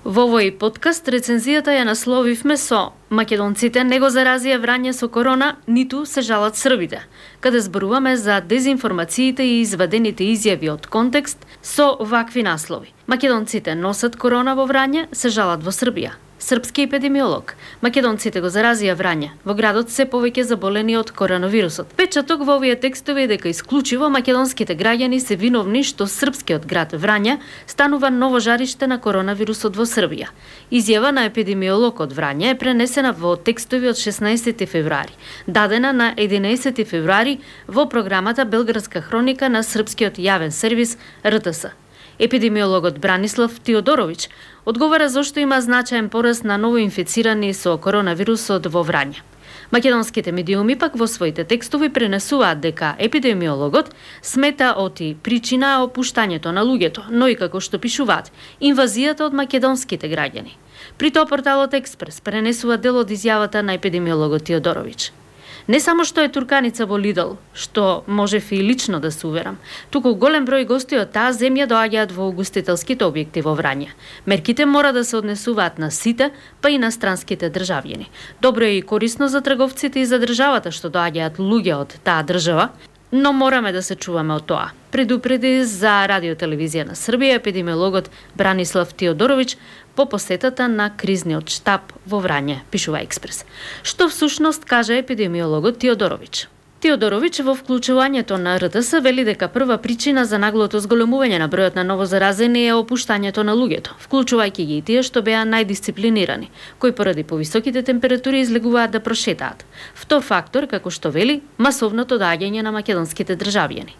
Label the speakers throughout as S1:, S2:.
S1: Во овој подкаст рецензијата ја насловивме со "Македонците не го заразија Врање со корона, ниту се жалат србите", каде зборуваме за дезинформациите и извадените изјави од контекст со вакви наслови. Македонците носат корона во Врање, се жалат во Србија. Српски епидемиолог. Македонците го заразија Врање. Во градот се повеќе заболени од коронавирусот. Печаток во овие текстови е дека исклучиво македонските граѓани се виновни што српскиот град Врање станува ново жариште на коронавирусот во Србија. Изјава на епидемиолог од Врање е пренесена во текстови од 16 февруари, дадена на 11 февруари во програмата Белградска хроника на српскиот јавен сервис РТС. Епидемиологот Бранислав Теодорович одговара зошто има значаен пораст на новоинфицирани со коронавирусот во Врање. Македонските медиуми пак во своите текстови пренесуваат дека епидемиологот смета оти причина е опуштањето на луѓето, но и како што пишуваат, инвазијата од македонските граѓани. При тоа порталот Експрес пренесува дел од изјавата на епидемиологот Теодорович. Не само што е турканица во Лидл, што можев и лично да се уверам, туку голем број гости од таа земја доаѓаат во угостителските објекти во Врање. Мерките мора да се однесуваат на сите, па и на странските државјани. Добро е и корисно за трговците и за државата што доаѓаат луѓе од таа држава, но мораме да се чуваме од тоа. Предупреди за Радиотелевизија на Србија епидемиологот Бранислав Теодорович по посетата на кризниот штаб во Врање, пишува Експрес. Што всушност каже епидемиологот Теодорович? Теодорович во вклучувањето на РТС вели дека прва причина за наглото зголемување на бројот на новозаразени е опуштањето на луѓето, вклучувајќи ги и тие што беа најдисциплинирани, кои поради повисоките температури излегуваат да прошетаат. Втор фактор, како што вели, масовното доаѓање на македонските државјани.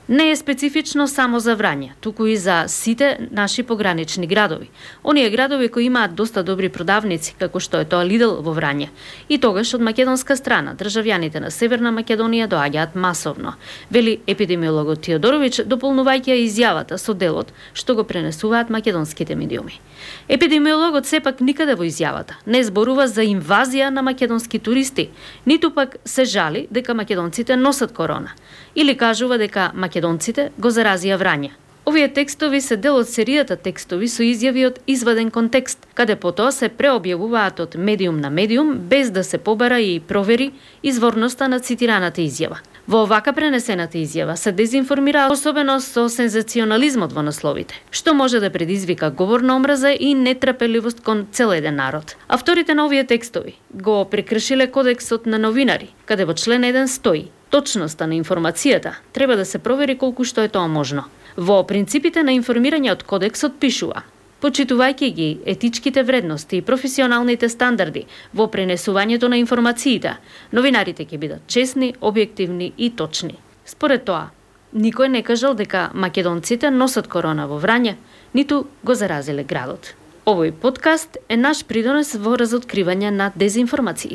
S1: Не е специфично само за Врање, туку и за сите наши погранични градови. Оние градови кои имаат доста добри продавници, како што е тоа Лидл во Врање. И тогаш од македонска страна државјаните на Северна Македонија доаѓаат масовно, вели епидемиологот Теодорович, дополнувајќи изјавата со делот што го пренесуваат македонските медиуми. Епидемиологот сепак никаде во изјавата не зборува за инвазија на македонски туристи, ниту пак се жали дека македонците носат корона, или кажува дека македонците го заразија Врање. Овие текстови се дел од серијата текстови со изјави од изваден контекст, каде потоа се преобјавуваат од медиум на медиум без да се побара и провери изворноста на цитираната изјава. Во овака пренесената изјава се дезинформира, особено со сензационализмот во насловите, што може да предизвика говор на омраза и нетрпеливост кон цел еден народ. Авторите на овие текстови го прекршиле кодексот на новинари, каде во член 1 стои: точноста на информацијата треба да се провери колку што е тоа можно. Во принципите на информирање од кодексот пишува: почитувајќи ги етичките вредности и професионалните стандарди во пренесувањето на информациите, новинарите ќе бидат честни, објективни и точни. Според тоа, никој не кажал дека македонците носат корона во Врање, ниту го заразиле градот. Овој подкаст е наш придонес во разоткривање на дезинформациите.